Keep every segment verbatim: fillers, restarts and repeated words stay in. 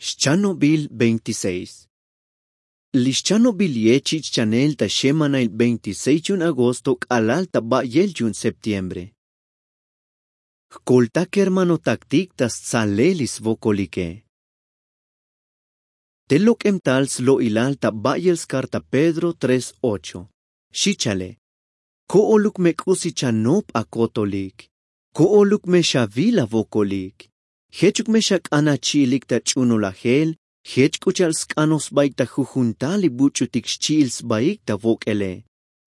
Xchanobil veintiséis. Li xchanobil ye chi'ch chanel ta xemanail veintiséis yu'un agosto k'alal ta ba'yel yu'un septiembre. Jkolta kermanotaktik ta stsalel li svokolike. Te lok'em tal slo'ilal ta ba'yel skarta pedro tres ocho. Xi chale. Ko'oluk me k'usi chanop akotolik. Ko'oluk me xavil avokolik. Jechuk me xak'an achi'ilik ta ch'unulajel. Jech k'u cha'al sk'anoj sbaik ta jujun tal li buch'utik xchi'il sbaik ta vok'ele.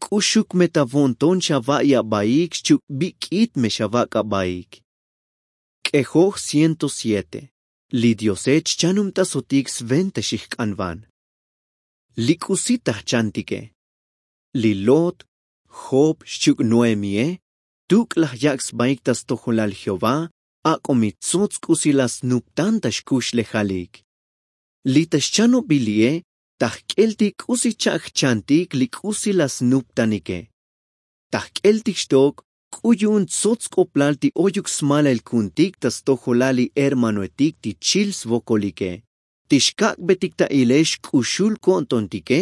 K'uxuk me ta vo'nton xava'i abaik xchi'uk bik'it me xavak' abaik. K'ejoj ciento siete. Li diose chchanubtasotik sventa xijk'anvan. Li k'usi ta jchantike. Li lot, job xchi'uk noemie, tuk' laj yak' sbaik ta stojolal jehová. Ak'o mi tsots k'usi laj snuptan ta xkuxlejalik. Li ta xchanobil li'e ta jk'eltik k'usi cha'k jchantik li k'usi laj snuptanike. Ta jk'eltik xtok k'u yu'un tsots sk'oplal ti oyuk smalail ku'untik ta stojolal li hermanoetik ti chil svokolike, ti xkak'betik ta ilel xk'uxul ko'ntontike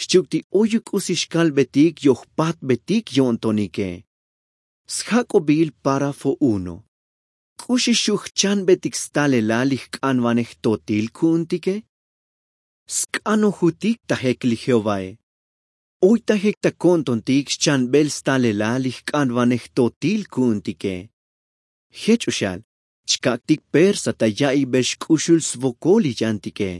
xchi'uk ti oyuk k'usi xkalbetik yojpatbetik yo'ntonike. Sjak'obil párafo uno. K'uxi xu' jchanbetik stalelal li jk'anvanej jtotil ku'untike. Sk'anojutik ta jek li jehovae. Oy ta jek ta ko'ntontik xchanbel stalelal li jk'anvanej jtotil ku'untike. Jech o xal chkak'tik persa ta ya'iybex k'uxul svokol li yantike.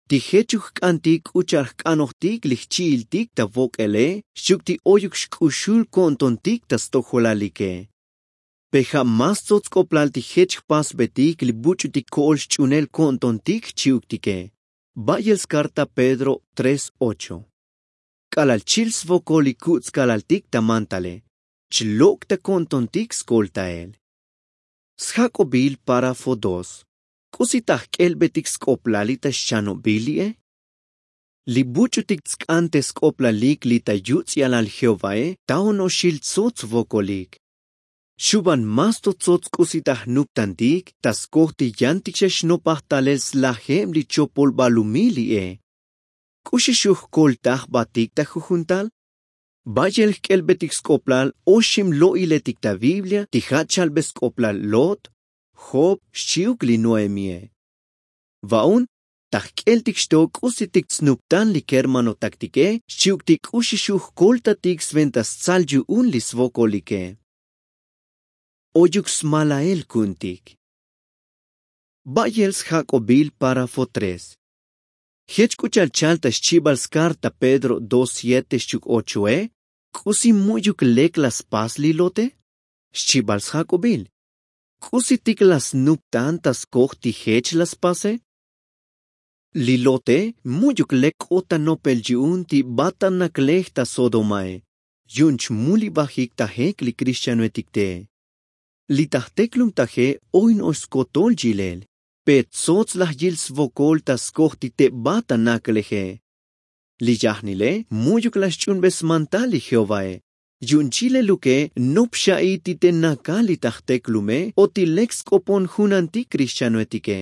Ti jechuk jk'antik k'u cha'al jk'anojtik li jchi'iltik ta vok'ele xchi'uk ti oyuk xk'uxul ko'ntontik ta stojolalike. Pe ja' más tsots sk'oplal ti jech jpasbetik li buch'utik ko'ol xch'unel ko'ntontik xchi'uktike. Ba'yel skarta pedro tres ocho. K'alal chil svokol li kuts' kalaltik ta mantale chlok' ta ko'ntontik skoltael. Sjak'obil párafo dos. K'usi ta jk'elbetik sk'oplal li ta xchanobil li'e. Li buch'utik tsk'an te sk'oplalik li ta yuts'yalal jehovae ta onoxil tsots vokolik. Xuban más to tsots k'usi ta jnuptantik ta skoj ti yantik xa xnopaj talel slajeb li chopol balumil li'e. K'uxi xu' jkolta jbatik ta jujun tal. Ba'yel jk'elbetik sk'oplal oxib lo'iletik ta biblia ti ja' chalbe sk'oplal lot, job xchi'uk li noemie. Va'un ta jk'eltik xtok k'usitik tsnuptan li kermanotaktike xchi'uk ti k'uxi xu' jkoltatik sventa stsal yu'un li svokolike. Oyuk smalael ku'untik. Ba'yel sjak'obil párafo tres. Jech k'u cha'al chal ta xchibal skarta pedro dos siete xchi'uk ochoe. K'usi mu'yuk lek laj spas li lote? Xchibal sjak'obil. K'usitik laj snuptan ta skoj ti jech laj spase? Li lote mu'yuk lek k'ot ta nopel yu'un ti ba ta naklej ta sodomae. Yu'un chmulibajik ta jek li krixtianoetik te. Li ta jteklumtaje oy no'ox skotol yilel. Pe tsots laj yil svokol ta skoj ti te ba ta nakleje. Li yajnile mu'yuk laj xch'unbe smantal li jehovae. Yu'un chileluke nop xa'i ti te nakal li ta jteklume o ti lek sk'opon junantik krixtianoetike.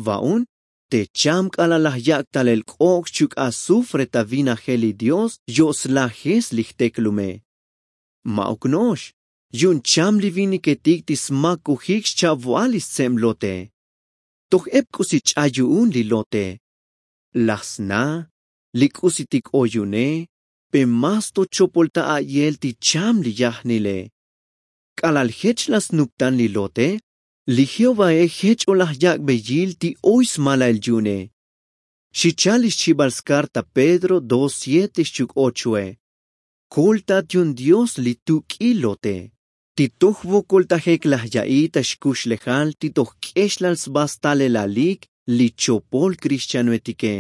Va'un te cham k'alal laj yak' talel k'ok' xchi'uk azufre ta vinajel li dios yo' slajes li jteklume. Ma'uk no'ox yu'un cham li viniketik ti smakojik xcha'vo'al li stseb lote. Toj eb k'usi ch'ay yu'un li lote. Laj sna li k'usitik oy yu'une. Pe más to chopol ta a'yel ti cham li yajnile. K'alal jech laj snuptan li lote li jehovae jech o laj yak'be yil ti oy smalael yu'une. Xi chal li xchibal skarta pedro dos siete xchi'uk ochoe. Koltat yu'un dios li tuk'il lote ti toj vokoltajek laj ya'i ta xkuxlejal ti toj k'exlal sba stalelalik li chopol krixtianoetike.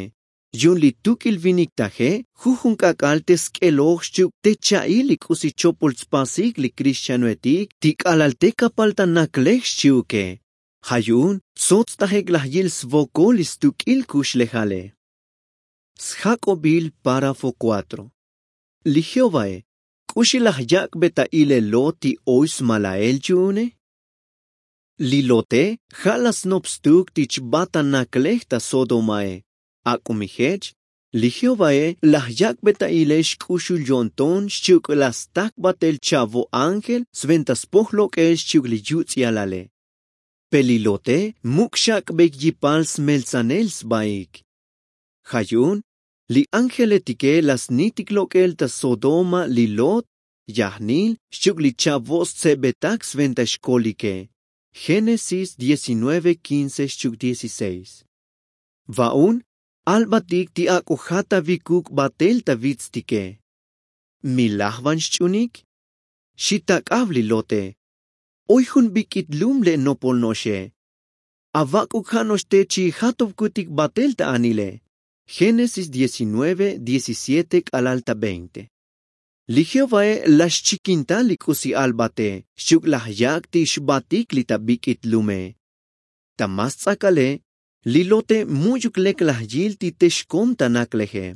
Yu'un li tuk'il vinik taje jujun k'ak'al te sk'eloj xchi'uk te cha'il li k'usi chopol tspasik li krixtianoetik ti k'alal te kapal ta naklej xchi'uke. Ja' yu'un tsots tajik laj yil svokol li stuk'il kuxlejale. Sjak'obil párafo kuatro. Li jehovae k'uxi laj yak'be ta ilel lot ti oy smalael yu'une? Li lote ja' la snop stuk ti chbat ta naklej ta sodomae. Ak'o mi jech li jehovae laj yak'be ta ilel xk'uxul yo'nton xchi'uk la stak batel cha'vo ángel sventa spoj lok'el xchi'uk li yutz'ialale. Pe li lote muk' xak'beik yipal smeltsanel sbaik. Ja' yu'un li ángeletike la snitik lok'el ta sodoma li lot, yajnil xchi'uk li cha'vo stsebetak sventa xkolike. Génesis diecinueve quince xchi'uk dieciséis. Va'un albatik ti ak'o jatavikuk batel ta vitstike. Mi lajvan xch'unik? Xi tak'av li lote. Oy jun bik'it lum le' nopol no'oxe. Avak'uk ja' no'ox te chi'ijatovkutik batel ta anile. Génesis diecinueve diecisiete k'alal ta veinte. Li jehovae laj xchikinta li k'usi albate xchi'uk laj yak' ti xbatik li ta bik'it lume. Ta más ts'akale li lote mu'yuk lek laj yil ti te xkom ta nakleje.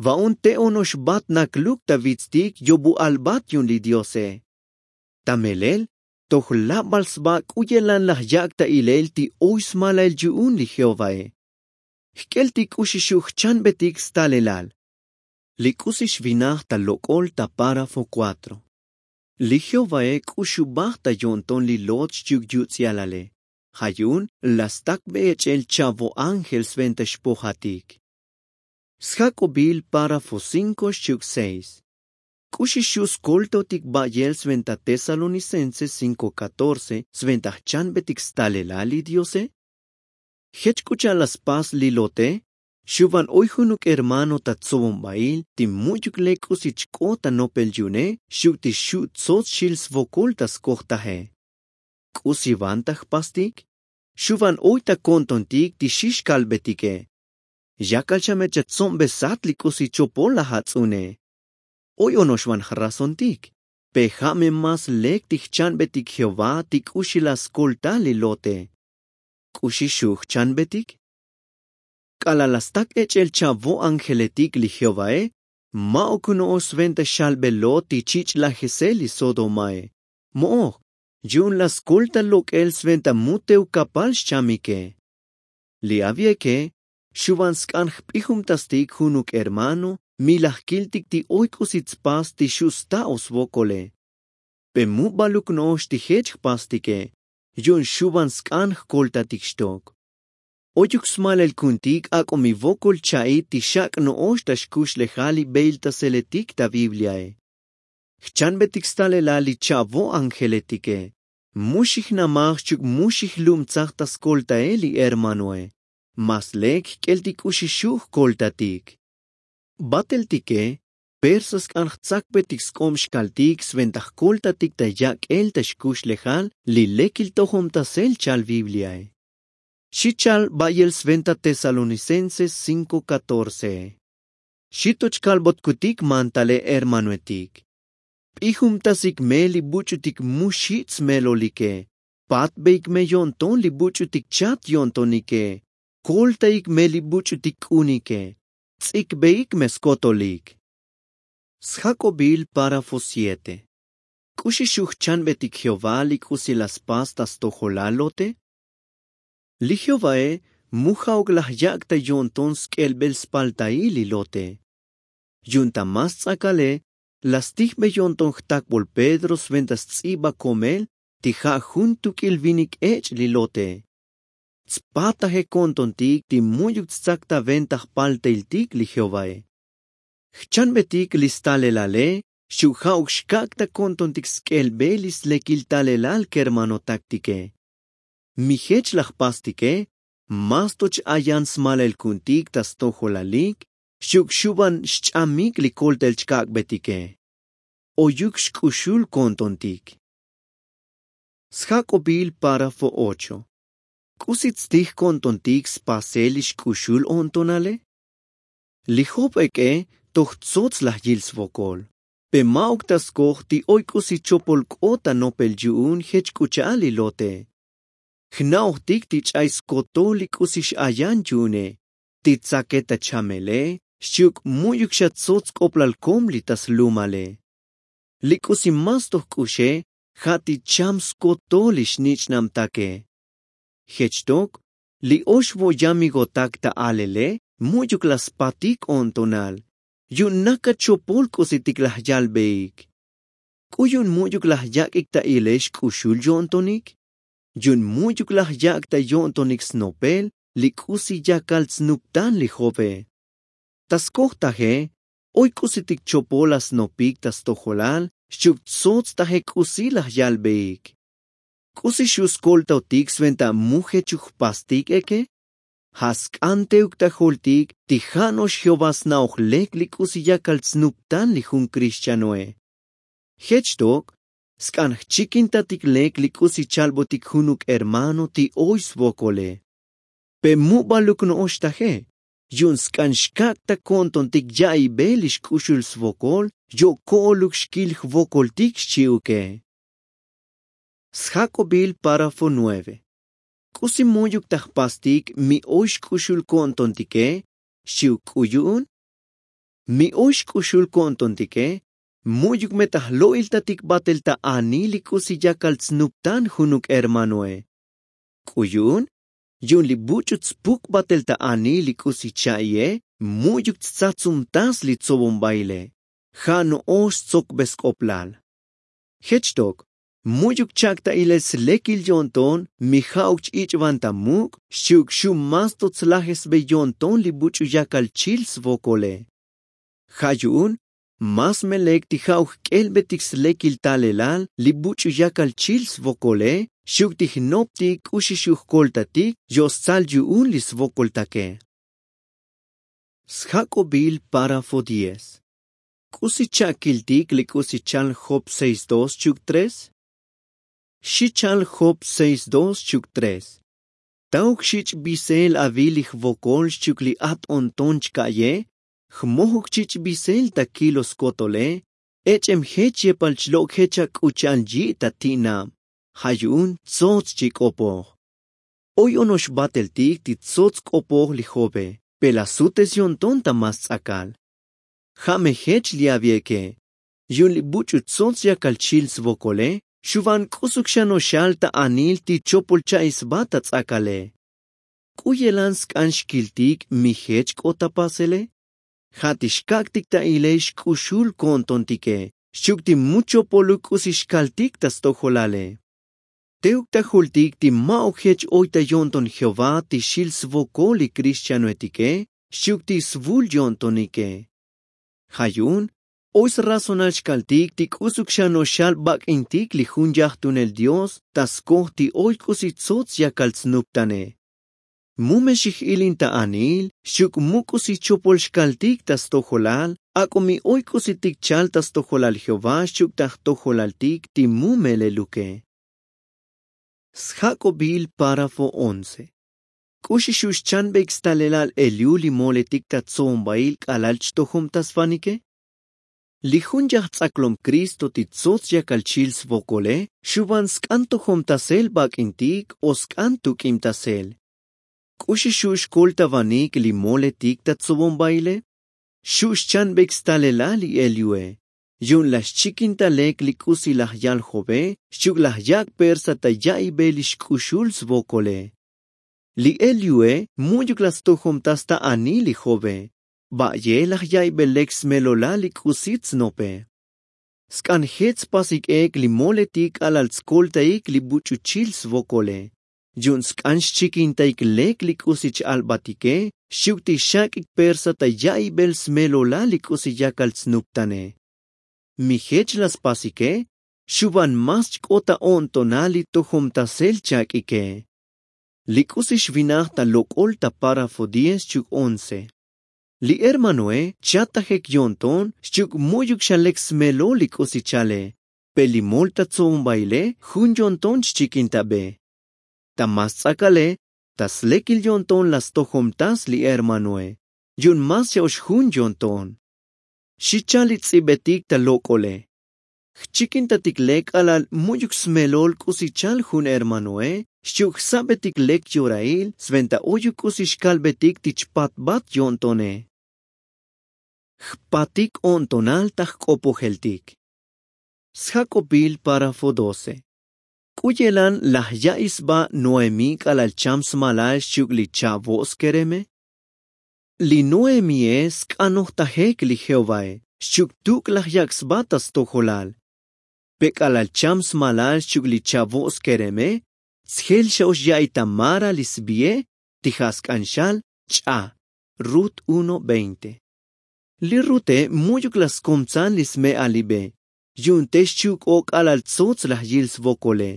Va'un te ono'ox bat nakluk ta vitstik yobu albat yu'un li diose. Ta melel toj labal sba k'u ye'lan laj yak' ta ilel ti oy smalail yu'un li jehovae. Jk'el ti k'uxi xu' jchanbetik stalelal. Li k'usi xvinaj ta lok'ol ta párafo kuatro. Li jehovae k'uxubaj ta yo'nton li lot xchi'uk yutz'ialale. Ja' yu'un la stakbe ech'el cha'vo ángel sventa xpojatik. Sjak'obil párafo cinko xchi'uk seis. K'uxi xu' skoltotik ba'yel sventa tesalonicenses cinko catorce sventa jchanbetik stalelal li diose? Jech k'u cha'al la spas li lote xuvan oy junuk hermano ta tsobonbail ti mu'yuk lek k'usi chk'ot ta nopel yu'une xchi'uk ti xu' tsots xil svokol ta skojtaje. K'usi vanta jpastik? Xuvan oy ta ko'ntontik ti xi xkalbetike. Yakal xa me chatsombesat li k'usi chopol laj ats'une. Oy ono'ox van jrazontik. Pe ja' me más lek ti jchanbetik jehová ti k'uxi la skolta li lote. K'uxi xu' jchanbetik? K'alal la stak ech'el cha'vo ángeletik li jehovae, ma'uk no'ox sventa xalbe lot ti chich' lajesel li sodomae. Mo'oj yu'un la skolta lok'el sventa mu tevkapal xchamike. Li avieke xuvan sk'an jp'ijumtastik junuk hermano mi laj kiltik ti oy k'usi tspas ti xu' sta'o svokole. Pe mu baluk no'ox ti jech jpastike yu'un xuvan sk'an jkoltatik xtok. Oyuk smalel ku'untik ak'o mi vokol cha'it ti xak' no'ox ta xkuxlejal li beiltaseletik ta bibliae. Jchanbetik stalelal li cha'vo ángeletike. Mu xijnamaj xchi'uk mu xijlubtsaj ta skoltael li hermanoe. Más lek jk'el ti k'uxi xu' jkoltatik. Bateltike persa sk'an jtsakbetik sk'ob xkaltik sventa jkoltatik ta yak'el ta xkuxlejal li lekil tojomtasel chal bibliae. Xi chal ba'yel sventa tesalonicenses cinko catorce. Xi to chkalbotkutik mantale hermanoetik. P'ijumtasik me li buch'utik mu xich' smelolike. Patbeik me yo'nton li buch'utik chat yo'ntonike. Koltaik me li buch'utik k'unike. Ts'ikbeik me skotolik. Sjak'obil párafo siete. K'uxi xu' jchanbetik jehová li k'usi la spas ta stojolal lote? Li jehovae mu ja'uk laj yak' ta yo'nton sk'elbel spaltail li lote. Yu'un ta más ts'akale la stijbe yo'nton jtakbol pedro sventa sts'iba komel ti ja' jun tuk'il vinik ech' li lote. Tspataje ko'ntontik ti mu'yuk tstsakta venta jpaltailtik li jehovae. Jchanbetik li stalelale xu' ja'uk xkak' ta ko'ntontik sk'elbel li slekil talelal kermanotaktike. Mi jech laj jpastike más to ch-ayan smalel ku'untik ta stojolalik xchi'uk xuvan xch'amik li koltael chkak'betike. Oyuk xk'uxul ko'ntontik. Sjak'obil párafo ocho. K'usi tstij ko'ntontik spasel li xk'uxul o'ntonale? Li job ek'e toj tsots laj yil svokol. Pe ma'uk ta skoj ti oy k'usi chopol k'ot ta nopel yu'un jech k'u cha'al li lote. Jna'ojtik ti ch'ay skotol li k'usi x'ayan yu'une ti tsake ta chamele xchi'uk mu'yuk xa tsots sk'oplal kom li ta slumale. Li k'usi más toj k'uxe ja' ti cham skotol li xnich'nabtake. Jech tok li ox vo' yamigotak ta alele mu'yuk laj spatik o'ntonal yu'un nakat chopol k'usitik laj yalbeik. K'u yu'un mu'yuk laj yak'ik ta ilel xk'uxul yo'ntonik? Yu'un mu'yuk laj yak' ta yo'ntonik snopel li k'usi yakal tsnuptan li jove. Ta skoj taje oy k'usitik chopol laj snopik ta stojolal xchi'uk tsots taje k'usi laj yalbeik. K'usi xu' skoltotik sventa mu jechuk jpastik eke? Ja' sk'an teuk ta joltik ti ja' no'ox jehová sna'oj lek li k'usi yakal tsnuptan li jun kristianoe. Jech tok sk'an jchikintatik lek li k'usi chalbotik junuk hermano ti oy svokole. Pe mu baluk no'ox taje yu'un sk'an xkak' ta ko'ntontik ya'iybe li xk'uxul svokol yo' ko'oluk xkil jvokoltik xchi'uke. Sjak'obil párafo nueve. K'usi mu'yuk ta jpastik mi oy xk'uxul ko'ntontike xchi'uk k'u yu'un? Mi oy xk'uxul ko'ntontike mu'yuk me ta jlo'iltatik batel ta anil li k'usi yakal tsnuptan junuk hermanoe. K'u yu'un yu'un li buch'u tspuk batel ta anil li k'usi cha'iye mu'yuk tstsatsumtas li tsobonbaile. Ja' no'ox stsokbe sk'oplal. Jech tok mu'yuk chak' ta ilel slekil yo'nton mi ja'uk ch-ich'van ta muk' xchi'uk xu' mas to tslajesbe yo'nton li buch'u yakal chil svokole. Ja' yu'un mas me lek ti ja'uk jk'elbetik slekil talelal li buch'u yakal chil svokole xchi'uk ti jnoptik k'uxi xu' jkoltatik yo' stsal yu'un li svokoltake. Sjak'obil párafo diez. K'usi cha'kiltik li k'usi chal job seis dos xchi'uk tres? Xi chal job seis dos xchi'uk tres. Tauk xich' bisel avil li jvokol xchi'uk li at o'nton chka'ye jmojuk chich' bisel ta kilo skotole. Ech'em jech yepal chlo' jech ak'u cha'al yi' ta ti'nab. Ja' yu'un tsots chi k'opoj. Oy ono'ox bateltik ti tsots k'opoj li jove pe laj sutes yo'nton ta mas ts'akal. Ja' me jech li avieke yu'un li buch'u tsots yakal chil svokole xu' van k'usuk xan oxal ta anil ti chopol cha'i sba ta ts'akale. K'u yelan sk'an xkiltik mi jech k'ot ta pasele? Ja' ti xkak'tik ta ilel xk'uxul ko'ntontike xchi'uk ti mu chopoluk k'usi xkaltik ta stojolale. Teuk ta joltik ti ma'uk jech oy ta yo'nton jehová ti xil svokol li kristianoetike xchi'uk ti svul yo'ntonike. Ja' yu'un oy srazonal xkaltik ti k'usuk xan oxal bak'intik li jun yajtunel dios ta skoj ti oy k'usi tsots yakal tsnuptane. Mu me xij ilin ta anil xchi'uk mu k'usi chopol xkaltik ta stojolal. Ak'o mi oy k'usitik chal ta stojolal jehová xchi'uk ta jtojolaltik ti mu meleluke. Sjak'obil párafo once. K'uxi xu' xchanbeik stalelal eliu li moletik ta tso'ombail k'alal chtojomtasvanike? Li jun yajts'aklom kristo ti tsots yakal chil svokole xu' van sk'an tojomtasel bak'intik o sk'an tuk'ibtasel. K'uxi xu' xkoltavanik li moletik ta tsobonbaile? Xu' xchanbeik stalelal li eliue yu'un laj xchikinta lek li k'usi laj yal jove xchi'uk laj yak' persa ta ya'iybe li xk'uxul svokole. Li eliue mu'yuk laj stojomtas ta anil li jove. Ba'ye laj ya'iybe lek smelolal li k'usi tsnope. Sk'an jech spasik ek li moletik k'alal tskoltaik li buch'u chil svokole yu'un sk'an xchikintaik lek li k'usi ch-albatike xchi'uk ti xak'ik persa ta ya'iybe smelolal li k'usi yakal tsnuptane. Mi jech laj spasike xu' van mas chk'ot ta o'ntonal li tojomtasel chak'ike. Li k'usi xvinaj ta lok'ol ta párafo diez xchi'uk once. Li hermanoe chatajek yo'nton xchi'uk mu'yuk xa lek smelol li k'usi chale. Pe li mol ta tso'ombaile jun yo'nton xchikintabe. Ta mas ts'akale ta slekil yo'nton laj stojomtas li hermanoe yu'un mas xa ox jun yo'nton. Xi chal li ts'ibetik ta lok'ole. Jchikintatik lek k'alal mu'yuk smelol k'usi chal jun hermanoe xchi'uk jsabetik lek yorail sventa oyuk k'usi xkalbetik ti chpatbat yo'ntone. Jpatik o'ntonal ta jk'opojeltik. Sjak'obil párafo doce. K'u yelan laj ya'iy sba noemí k'alal cham smalal xchi'uk li cha'vo' skereme? Li noemíe sk'anojtajek li jehovae xchi'uk tuk' laj yak' sba ta stojolal. Pe k'alal cham smalal xchi'uk li cha'vo' skereme, sjel xa ox ya'iy ta mara li sbie ti ja' sk'an xal ch'a. Rut uno veinte. Li rute mu'yuk laj skomtsan li sme'alibe yu'un te xchi'uk o k'alal tsots laj yil svokole.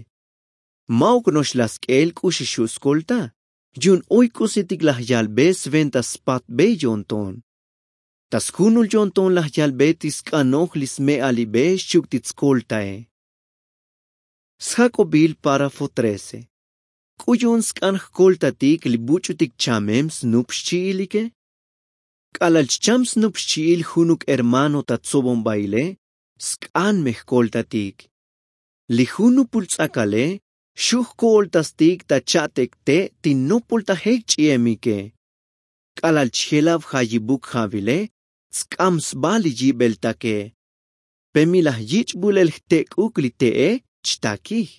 Ma'uk no'ox laj sk'el k'uxi xu' skolta yu'un oy k'usitik laj yalbe sventa spatbe yo'nton. Ta sjunul yo'nton laj yalbe ti sk'anoj li sme'alibe xchi'uk ti tskoltae. Sjak'obil párafo trece. K'u yu'un sk'an jkoltatik li buch'utik chamem snup xchi'ilike? K'alal chcham snup xchi'il junuk hermano ta tsobonbaile, sk'an me jkoltatik. Li jun nupul ts'akale xu' jko'oltastik ta cha'tek te' ti nopoltajek ch'i'emike. K'alal chjelab jayibuk ja'vile tsk'am sba li yibeltake. Pe mi laj yich' bulel jtek'uk li te'e chtakij.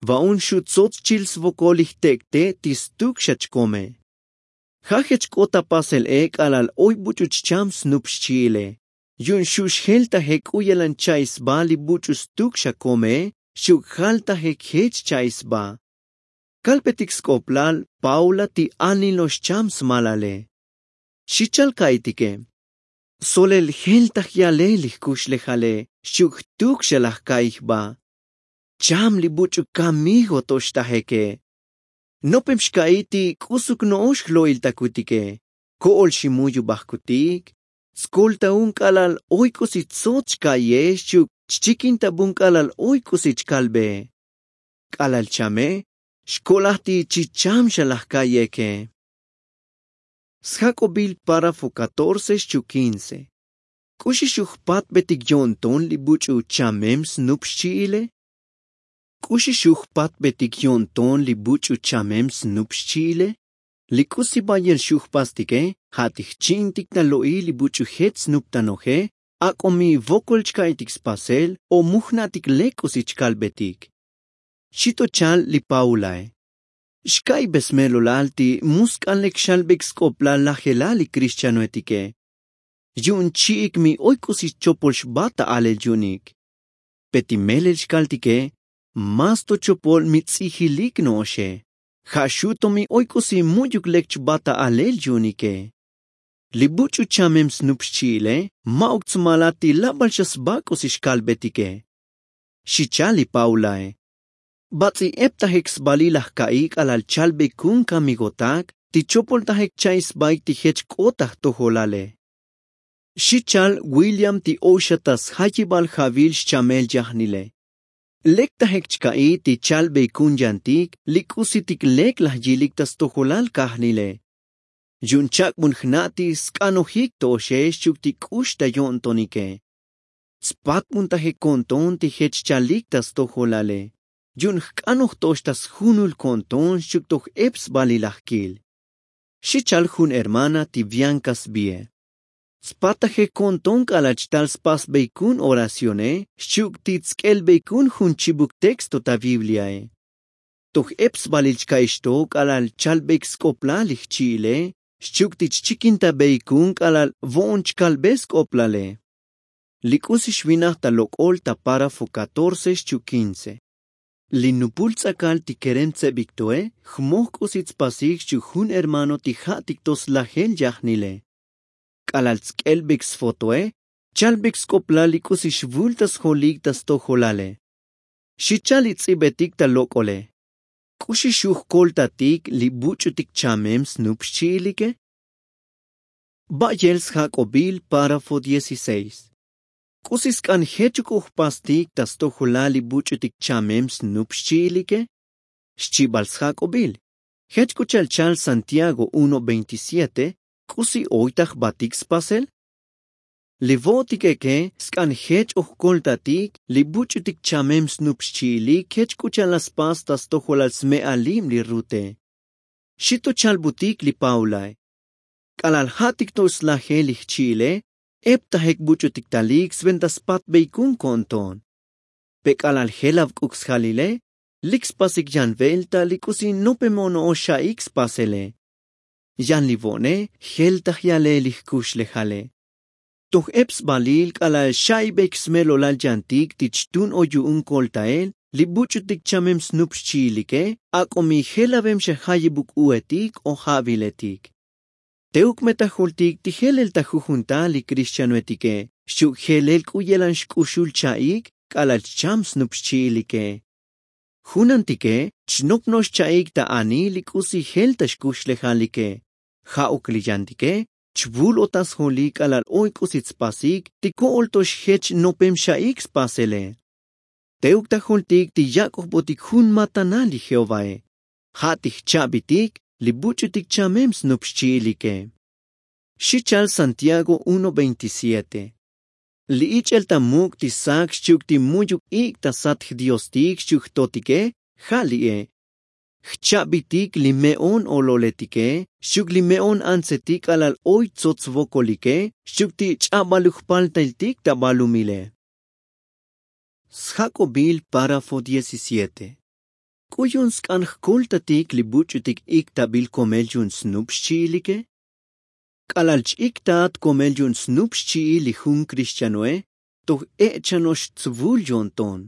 Va'un xu' tsots chil svokol li jtek' te' ti stuk xa chkome. Ja' jech k'ot ta pasel e k'alal oy buch'u chcham snup xchi'ile yu'un xu' xjeltajek k'u yelan cha'iy sba li buch'u stuk xa komee xchi'uk jaltajek jech cha'iy sba. Kalbetik sk'oplal paula ti anil no'ox cham smalale. Xi chal ka'iytike. Solel jeltaj yale li jkuxlejale xchi'uk jtuk xa laj ka'iy jba. Cham li buch'u kamigo to xtajeke. Nopem xka'iy ti k'usuk no'ox jlo'iltakutike. Ko'ol ximuyubajkutik. Tskoltaun k'alal oy k'usi tsots chka'iye xchi'uk chchikintabun k'alal oy k'usi chkalbee. K'alal chame xkolaj ti chicham xa laj ka'iyeke. Sjak'obil párafo catorce xchi'uk quince. K'uxi xu' jpatbetik yo'nton li buch'u chamem snup xchi'ile? K'uxi xu' jpatbetik yo'nton li buch'u chamem snup xchi'ile? Li k'usi bayel xu' jpastike ja' ti jchi'intik ta lo'il li buch'u jech snuptanoje ak'o mi vokol chka'iytik spasel o mu jna'tik lek k'usi chkalbetik. Xi to chal li paulae. Xka'ibe smelolal ti mu sk'an lek xalbek sk'oplal lajelal li krixtianoetike. Yu'un chi'ik mi oy k'usi chopol xba ta alel yu'unik. Pe ti melel xkaltike más to chopol mi ts'ijilik no'oxe. Ja' xu' to mi oy k'usi mu'yuk lek chba ta alel yu'unike. Li buch'u chamem snup xchi'ile ma'uk tsmalat ti labal xa sba k'usi xkalbetike. Xi chal li paulae. Bats'i eptajek sbalil laj ka'iy k'alal chalbeikun kamigotak ti chopoltajek cha'iy sbaik ti jech k'ot ta jtojolale. Xi chal william ti oy xa ta sjayibal ja'vil xchamel yajnile. Lektajek chka'iy ti chalbeikun yantik li k'usitik lek laj yilik ta stojolal kajnile. Yu'un chak'bun jna' ti sk'anojik to'oxe xchi'uk ti k'ux ta yo'ntonike. Tspatbuntajek ko'nton ti jech chalik ta stojolale yu'un jk'anoj to'ox ta sjunul ko'nton xchi'uk toj ep sbalil laj kil. Xi chal jun hermana ti bianca sbie. Tspatajek ko'nton k'alal chtal spasbeikun oracione xchi'uk ti tsk'elbeikun jun chibuk texto ta bibliae. Toj ep sbalil chka'iy xto k'alal chalbeik sk'oplal li jchi'ile xchi'uk ti chchikintabeikun k'alal vo'on chkalbe sk'oplale. Li k'usi xvinaj ta lok'ol ta párafo catorce xchi'uk quince. Li nupul ts'akal ti kerem tsebik toe jmoj k'usi tspasik xchi'uk jun hermano ti ja'tik to slajel yajnile. K'alal tsk'elbek sfotoe chalbek sk'oplal li k'usi xvul ta sjolik ta stojolale. Xi chal li ts'ibetik ta lok'ole. K'uxi xu' jkoltatik li buch'utik chamem snup xchi'ilike? Ba'yel sjak'obil párafo dieciséis. K'usi sk'an jechuk o jpastik ta stojolal li buch'utik chamem snup xchi'ilike? Xchibal sjak'obil. Jech k'u cha'al chal santiago uno veintisiete k'usi oy ta jbatik spasel? Li vo'otik eke sk'an jech o jkoltatik li buch'utik chamem snup xchi'ilik jech k'u cha'al laj spas ta stojolal sme'alib li rute. Xi to chalbutik li paulae. K'alal ja'tik to slajel li jchi'ile eptajek buch'utik talik sventa spatbeikun ko'nton. Pe k'alal jelav k'uk sjalile, lik spasik yan velta li k'usi nopem ono'ox xa'ik spasele. Yan li vo'ne jeltaj yale li jkuxlejale. Toj ep sbalil k'alal xa'ibek smelolal yantik ti ch'tun o yu'un koltael li buch'utik chamem snup xchi'ilike, ak'o mi jelavem xa jayibuk u'etik o ja'viletik. Teuk me ta joltik ti jelel ta jujun tal li krixtianoetike xchi'uk jelel k'u yelan xk'uxul cha'ik k'alal chcham snup xchi'ilike. Junantike chnop no'ox cha'ik ta anil li k'usi jel ta xkuxlejalike. Ja'uk li yantike chvul o ta sjolik k'alal oy k'usi tspasik ti ko'ol to xjech nopem xa'ik spasele. Teuk ta joltik ti yak'ojbotik jun matanal li jehovae, ja' ti jcha'bitik li buch'utik chamem snup xchi'ilike. Xi chal santiago uno veintisiete. Li ich'el ta muk' ti sak xchi'uk ti mu'yuk ik' ta sat jdiostik xchi'uk jtotike, ja' li'e. Jcha'bitik li me'on ololetike xchi'uk li me'on antsetik k'alal oy tsots vokolike xchi'uk ti ch'abaluk jpaltailtik ta balumile. Sjak'obil párafo diecisiete. K'u yu'un sk'an jkoltatik li buch'utik iktabil komel yu'un snup xchi'ilike? K'alal ch-iktat komel yu'un snup xchi'il li jun krixtianoe toj ech'chano'ox tsvul yo'nton.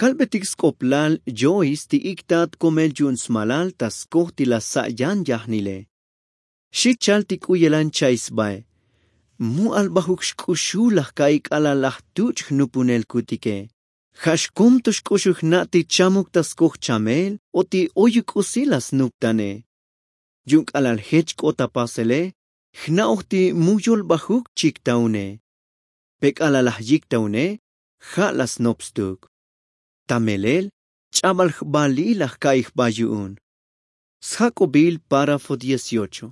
Kalbetik sk'oplal yois ti iktat komel yu'un smalal ta skoj ti la sa' yan yajnile. Xi chal ti k'u yelan cha'i sbae. Mu albajuk xk'uxul laj ka'i k'alal laj tuch' jnupunelkutike. Ja' xkom to xk'uxul jna' ti chamuk ta skoj chamel o ti oyuk k'usi la snuptane. Yu'un k'alal jech k'ot ta pasele jna'oj ti mu yolbajuk chiktaune. Pe k'alal laj yiktaune ja' la snop stuk. Ta melel ch'abal jbalil laj ka'i jba yu'un. Sjak'obil párafo dieciocho.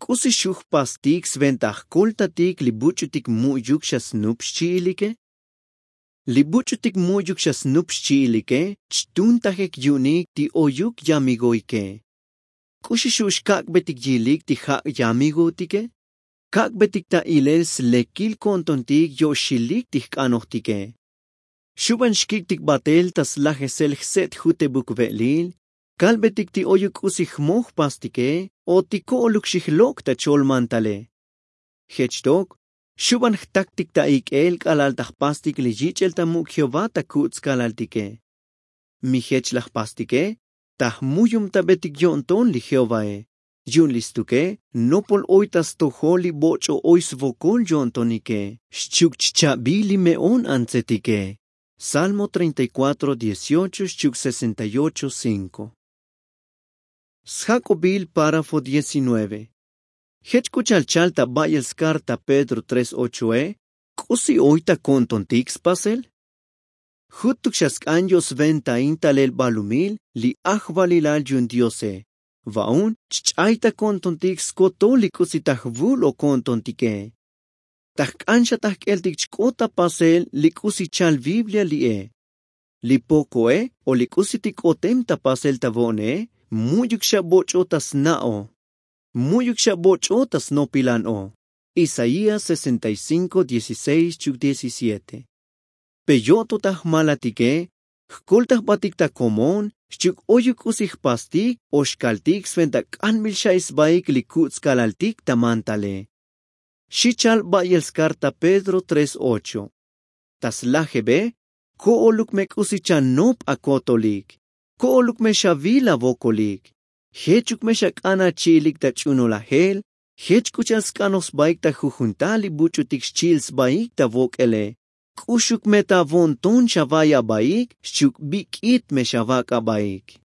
K'usi xu' jpastik sventa jkoltatik li buch'utik mu'yuk xa snup xchi'ilike? Li buch'utik mu'yuk xa snup xchi'ilike chtuntajek yu'unik ti oyuk yamigoike. K'uxi xu' xkak'betik yilik ti ja' yamigootike? Kak'betik ta ilel slekil ko'ntontik yo'xilik ti jk'anojtike. Xu' ban xkik'tik batel ta slajesel jse'tjutebuk ve'lil. Kalbetik ti oyuk k'usi jmoj jpastike o ti ko'oluk xijlok' ta chol mantale. Jech tok xu' ban jtaktik ta ik'el k'alal ta jpastik li yich'el ta muk' jehová ta ku'ts kalaltike. Mi jech laj jpastike ta jmuyumtabetik yo'nton li jehovae. Yu'un li stuke nopol oy ta stojol li boch'o oy svokol yo'ntonike xchi'uk chcha'bil li me'on antsetike. Salmo treinta y cuatro dieciocho xchi'uk sesenta y ocho cinko. Sjak'obil párafo diecinueve. Jech k'u cha'al chal ta ba'yel skarta pedro tres ochoe? K'usi oy ta ko'ntontik spasel? Jutuk xa sk'an yo'sventain talel balumil li ajvalilal yu'un diose. Va'un chch'ay ta ko'ntontik skotol li k'usi ta jvul o ko'ntontike. Ta jk'an xa ta jk'eltik chk'ot ta pasel li k'usi chal biblia li'e. Li pokoe o li k'usi ti k'otem ta pasel ta vo'ne mu'yuk xa boch'o ta sna'o. Mu'yuk xa boch'o ta snopilan o. Isaías sesenta y cinko dieciseis chuk diecisiete. Pe yo'to ta jmalatike jkolta jbatik ta komon xchi'uk oyuk k'usi jpastik o xkaltik sventa k'anbil xa'i sbaik li ku'ts kalaltik ta mantale. Xi chal ba'yel skarta pedro tres ocho. Ta slajebe ko'oluk me k'usi chanop akotolik. Ko'oluk me xavil avokolik. Jechuk me xak'an achi'ilik ta ch'unolajel. Jech k'u cha'al sk'anoj sbaik ta jujun tal li buch'utik xchi'il sbaik ta vok'ele. K'uxuk me ta vo'nton xava'i abaik xchi'uk bik'it me xavak' abaik.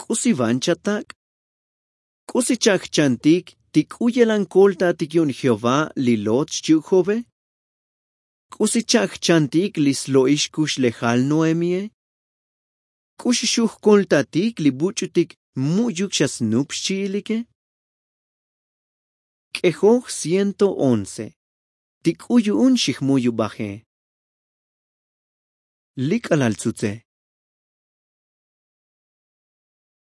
K'usi van chatak'? K'usi cha'jchantik ti k'u yelan koltatik yu'un jehová li lot xchi'uk jove? K'usi cha'jchantik li slo'ix kuxlejal noemie? K'uxi xu' jkoltatik li buch'utik mu'yuk xa snup xchi'ilike? K'ejoj ciento once. Ti k'u yu'un xijmuyubaje. Li k'alal tsutse.